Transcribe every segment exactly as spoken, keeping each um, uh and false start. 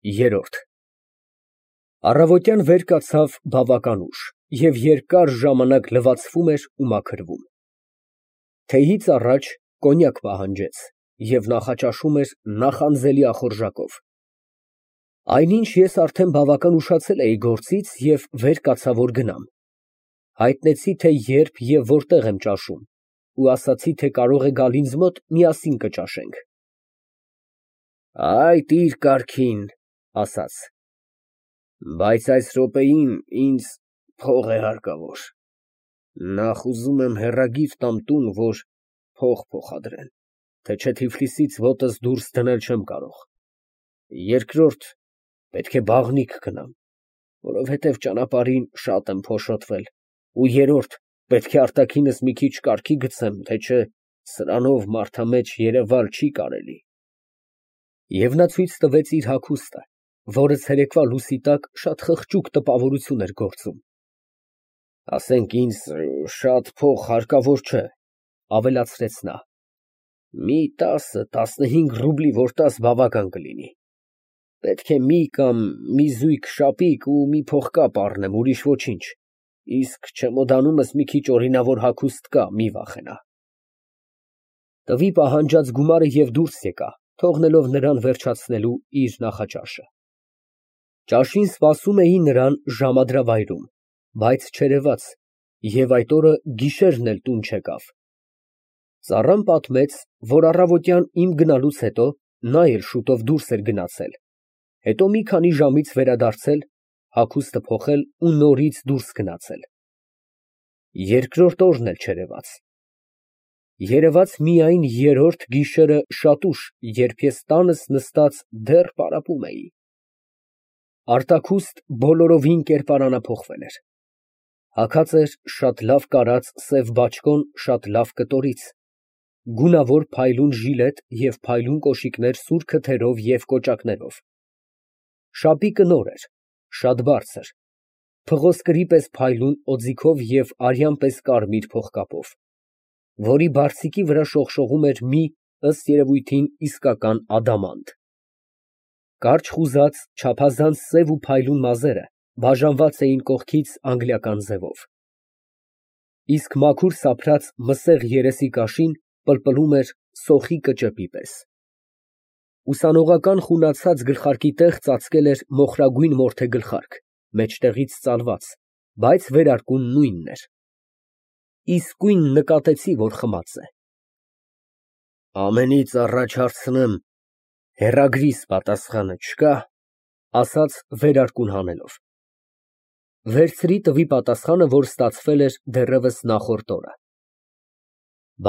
Երրորդ Առավոտյան վեր կացավ բավական ուշ և երկար ժամանակ լվացվում էր ու մաքրվում։ Թեյից առաջ կոնյակ պահանջեց և նախաճաշում էր նախանձելի ախորժակով։ Այնինչ ես արդեն բավական ուշացել էի գործից և վեր կացա, որ գնամ, հայտնեցի, թե երբ և որտեղ եմ ճաշում ու ասացի, թե կարող է գալ ինձ մոտ, միասին կճաշենք։ Այ տիր կարգին, ասաց, բայց այս րոպեին ինձ փող է հարկավոր, նախ ուզում եմ հեռագիր տամ տուն, որ փող փոխադրեն, թե չէ Թիֆլիսից ոտս դուրս դնել չեմ կարող, երկրորդ պետք է բաղնիք գնամ, որովհետև ճանապարհին շատ եմ փոշոտվել, ու երրորդ պետք է արտաքինս մի քիչ կարգի գցեմ, թե չէ սրանով մարդամեջ երևալ չի կարելի։ Եվ նա ցույց տվեց իր հագուստը, որը ցերեկվա լուսի տակ շատ խղճուկ տպավորություն էր գործում։ Ասենք ինձ շատ փող հարկավոր չէ, ավելացրեց նա, մի տասը֊տասնհինգ ռուբլի որ տաս բավական կլինի, պետք է մի կամ մի զույգ շապիկ ու մի փողկապ առնեմ, ուրիշ ոչինչ, իսկ չեմոդանումս մի քիչ օրինավոր հագուստ կա, մի վախենա։ Տվի պահանջած գումարը և դուրս եկա, թողնելով նրան վերջացնելու իր նախաճաշը։ Ճաշին սպասում էին նրան ժամադրավայրում, բայց չերևաց և այդ օրը գիշերն էլ տուն չեկավ։ Ծառան պատմեց, որ առավոտյան իմ գնալուց հետո նա էլ շուտով դուրս էր գնացել, հետո մի քանի ժամից վերադարձել, հագուստը փոխել ու նորից դուրս գնացել։ Երկրորդ օրն էլ չերևաց։ Երևաց միայն երրորդ գիշերը շատ ուշ, երբ ես տանս նստած դեռ պարապում էի։ Արտաքուստ բոլորովին կերպարանափոխվել էր։ Հագած էր շատ լավ կարած սև բաճկոն շատ լավ կտորից, գունավոր փայլուն ժիլետ և փայլուն կոշիկներ սուր քթերով և կոճակներով։ Շապիկը նոր էր, շատ բարձր, փղոսկրի պես փայլուն օձիքով և արյան պես կարմիր փողկապով, որի բարձիկի վրա շողշողում էր մի, ըստ երևույթին, իսկական ադամանդ։ Կարճ խուզած, չափազանց սև ու փայլուն մազերը բաժանված էին կողքից անգլիական ձևով, իսկ մաքուր սափրած մսեղ երեսի կաշին պլպլում էր սոխի կճեպի պես։ Ուսանողական խունացած գլխարկի տեղ ծածկել էր մոխրագույն մորթե գլխարկ, մեջտեղից ծալված, բայց վերարկուն նույնն էր։ Իսկույն նկատեցի, որ խմած է։ Ամենից առաջ հարցնեմ, հեռագրիս պատասխանը չկա, ասաց վերարկուն հանելով։ Վերցրի տվի պատասխանը, որ ստացվել էր դեռևս նախորդ օրը։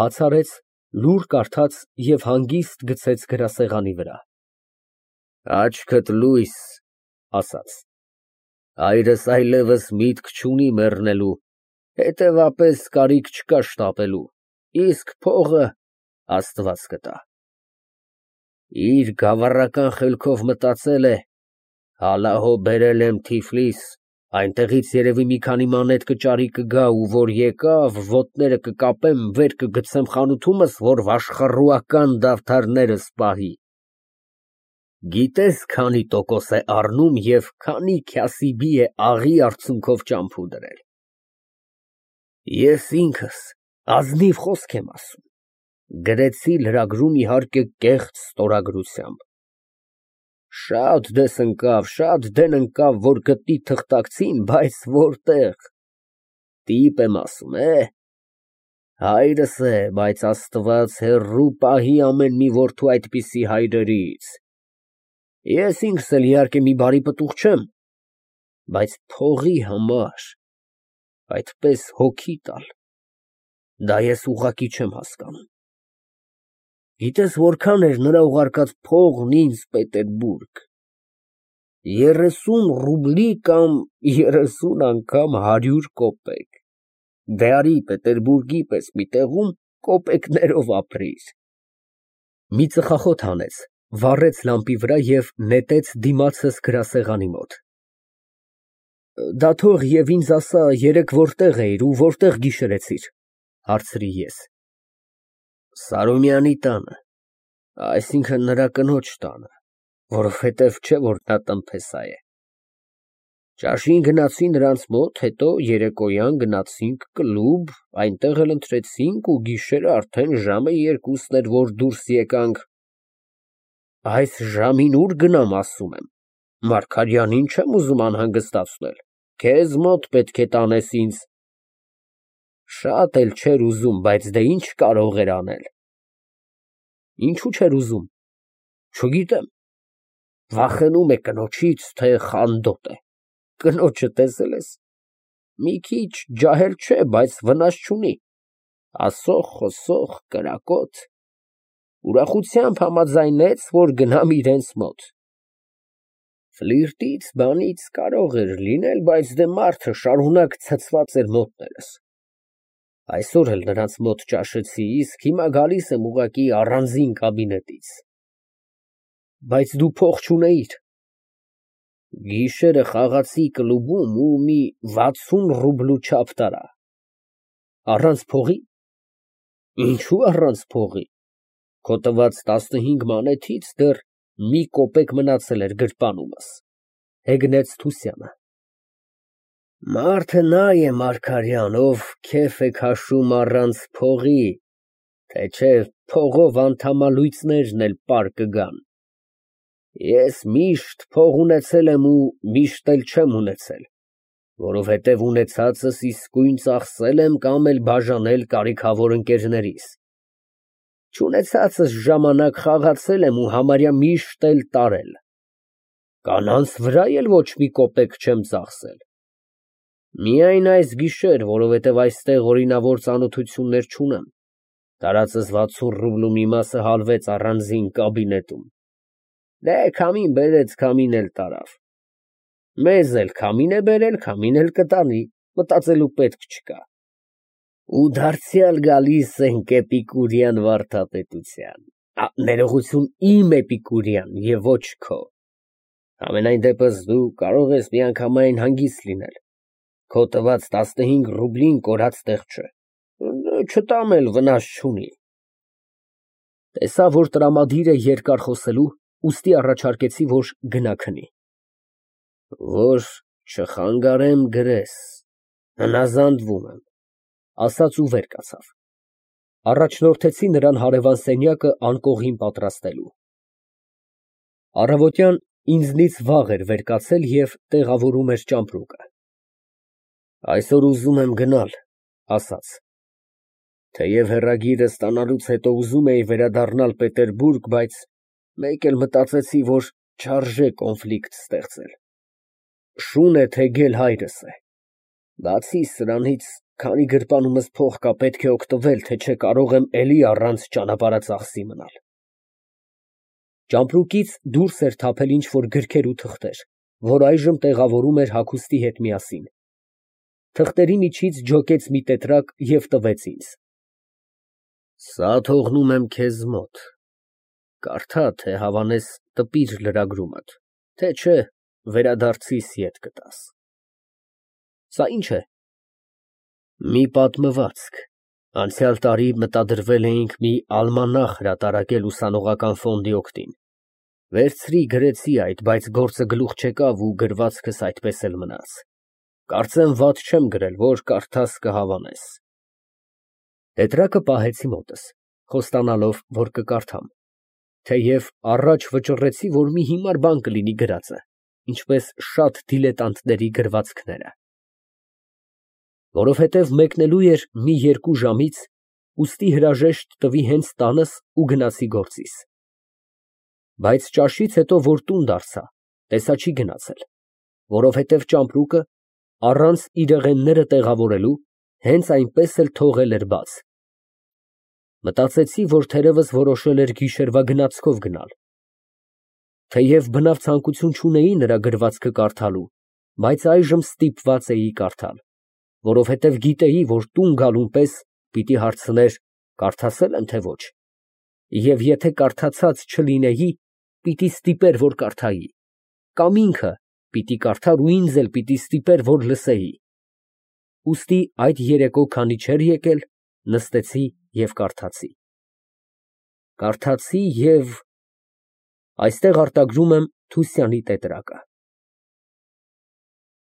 Բաց արեց, լուռ կարդաց և հանգիստ գցեց գրասեղանի վրա։ Աչքդ լույս, ասաց, հայրս այլևս միտք չունի մեռնելու, հետևապես կարիք չկա շտապելու, իսկ փողը Աստված կտա։ Իր գավառական խելքով մտածել է, հալահո բերել եմ Թիֆլիս, այնտեղից երևի մի քանի մանեթ կճարի կգա ու որ եկավ, ոտները կկապեմ, վեր կգցեմ խանութումս, որ վաշխառուական դավթարներս պահի։ Գիտես քանի տոկոս է առնում և քանի քյասիբի է աղի արցունքով ճամփու դրել։ Ես ինքս ազնիվ խոսք եմ ասում, գրեցի լրագրում իհարկե կեղծ ստորագրությամբ։ Շատ դես ընկավ, շատ դեն ընկավ, որ գտնի թղթակցին, բայց որտեղ, տիպ եմ ասում, է, հայրս է, բայց Աստված հեռու պահի ամեն մի որդու այդպիսի հայրերից։ Ես ինքս էլ իհարկե մի բարի պտուղ չեմ, բայց փողի համար այդպես հոգի տալ, դա ես ուղղակի չեմ հասկանում։ Գիտես որքան էր նրա ուղարկած փողն ինձ Պետերբուրգ, երեսուն ռուբլի կամ երեսուն անգամ հարյուր կոպեկ, դե արի Պետերբուրգի պես մի տեղում կոպեկներով ապրիր։ Մի ծխախոտ հանեց, վառեց լամպի վրա և նետեց դիմացս գրասեղանի մոտ։ Դա թող և ինձ ասա երեկ որտեղ էիր ու որտեղ գիշերեցիր, հարցրի ես։ Սարոյանի տանը, այսինքն նրա կնոջ տանը, որովհետև չէ որ նա տնտեսա է։ Ճաշին գնացի նրանց մոտ, հետո երեկոյան գնացինք կլուբ, այնտեղ էլ ընթրեցինք ու գիշերը արդեն ժամը երկուսն էր, որ դուրս եկանք։ Այս ժամին ուր գնամ, ասում եմ, Մարգարյանին չեմ ուզում անհանգստացնել, քեզ մոտ պետք է տանես ինձ։ Շատ էլ չէր ուզում, բայց դե ինչ կարող էր անել։ Ինչու չէր ուզում։ Չգիտեմ, վախենում է կնոջից, թե խանդոտ է։ Կնոջը տեսել ես, մի քիչ ջահել չէ, բայց վնաս չունի, ասող, խոսող, կրակոտ, ուրախությամբ համաձայնեց, որ գնամ իրենց մոտ։ Ֆլիրտից, բանից կարող էր լինել, բայց դե մարդը շարունակ ցցված էր մոտներս։ Այսօր էլ նրանց մոտ ճաշեցի, իսկ հիմա գալիս եմ ուղղակի առանձին կաբինետից։ Բայց դու փող չունեիր։ Գիշերը խաղացի կլուբում ու մի վաթսուն ռուբլու չափ տարա։ Առանց փողի։ Ինչու առանց փողի։ Քո տված տասնհինգ մանեթից դեռ մի կոպեկ մնացել էր գրպանումս, հեգնեց Թուսյանը։ Մարդը նա է, Մարգարյան, ով քեֆ է քաշում առանց փողի, թե չէ փողով անդամալույծներն էլ պար կգան։ Ես միշտ փող ունեցել եմ ու միշտ էլ չեմ ունեցել, որովհետև ունեցածս իսկույն ծախսել եմ կամ էլ բաժանել կարիքավոր ընկերներիս։ Չունեցածս ժամանակ խաղացել եմ ու համարյա միշտ էլ տարել։ Կանանց վրա էլ ոչ մի կոպեկ չեմ ծախսել։ Միայն այս գիշեր, որովհետև այստեղ օրինավոր ծանոթություններ չունեմ, տարածս վաթսուն ռուբլու մի մասը հալվեց առանձին կաբինետում։ Դե քամին բերեց, քամին էլ տարավ։ Մեզ էլ քամին է բերել, քամին էլ կտանի, մտածելու պետք չկա։ Ու դարձյալ գալիս ենք էպիկուրյան վարդապետության։ Ներողություն, իմ էպիկուրյան և ոչ քո։ Համենայն դեպս դու կարող ես միանգամայն հանգիստ լինել։ Քո տված տասնհինգ ռուբլին կորած տեղ չէ։ Չտամ էլ վնաս չունի։ Տեսա, որ տրամադիր է երկար խոսելու, ուստի առաջարկեցի, որ գնա քնի։ Որ չխանգարեմ գրես, հնազանդվում եմ, ասաց ու վեր կացավ։ Առաջնորդեցի նրան հարևան սենյակը անկողին պատրաստելու։ Առավոտյան ինձնից վաղ էր վեր կացել և տեղավորում էր ճամպրուկը։ Այսօր ուզում եմ գնալ, ասաց։ Թեև հեռագիրը ստանալուց հետո ուզում էի վերադառնալ Պետերբուրգ, բայց մեկ էլ մտածեցի, որ չարժե կոնֆլիկտ ստեղծել։ Շուն է թեգել հայրս է։ Բացի սրանից, քանի գրպանումս փող կա, պետք է օգտվել, թե չէ կարող եմ էլի առանց ճանապարհածախսի մնալ։ Ճամպրուկից դուրս էր թափել ինչ֊որ գրքեր ու թղթեր, որ այժմ տեղավորում էր հագուստի հետ միասին։ Թղթերի միջից ջոկեց մի տետրակ և տվեց ինձ։ Սա թողնում եմ քեզ մոտ։ Կարդա, թե հավանես տպիր լրագրումդ, թե չէ վերադարձիս ետ կտաս։ Սա ի՞նչ է։ Մի պատմվածք։ Անցյալ տարի մտադրվել էինք մի ալմանախ հրատարակել ուսանողական ֆոնդի օգտին։ Վերցրի գրեցի այդ, բայց գործը գլուխ չեկավ ու գրվածքս այդպես էլ մնաց։ Կարծեմ վատ չեմ գրել, որ կարդաս կհավանես։ Տետրակը պահեցի մոտս, խոստանալով, որ կկարդամ, թեև առաջ վճռեցի, որ մի հիմար բան կլինի գրածը, ինչպես շատ դիլետանտների գրվածքները։ Որովհետև մեկնելու էր մի երկու ժամից, ուստի հրաժեշտ տվի հենց տանս ու գնացի գործիս։ Բայց ճաշից հետո, որ տուն դարձա, տեսա չի գնացել, որովհետև ճամպրուկը, առանց իրեղենները տեղավորելու, հենց այնպես էլ թողել էր բաց։ Մտածեցի, որ թերևս որոշել էր գիշերվա գնացքով գնալ։ Թեև բնավ ցանկություն չունեի նրա գրվածքը կարդալու, բայց այժմ ստիպված էի կարդալ, որովհետև գիտեի, որ տուն գալուն պես պիտի հարցներ կարդացե՞լ եմ, թե ոչ, և եթե կարդացած չլինեի, պիտի ստիպեր, որ կարդայի, կամ ինքը պիտի կարդար ու ինձ էլ պիտի ստիպեր, որ լսեի։ Ուստի այդ երեկո, քանի չէր եկել, նստեցի և կարդացի։ Կարդացի և… Այստեղ արտագրում եմ Թուսյանի տետրակը։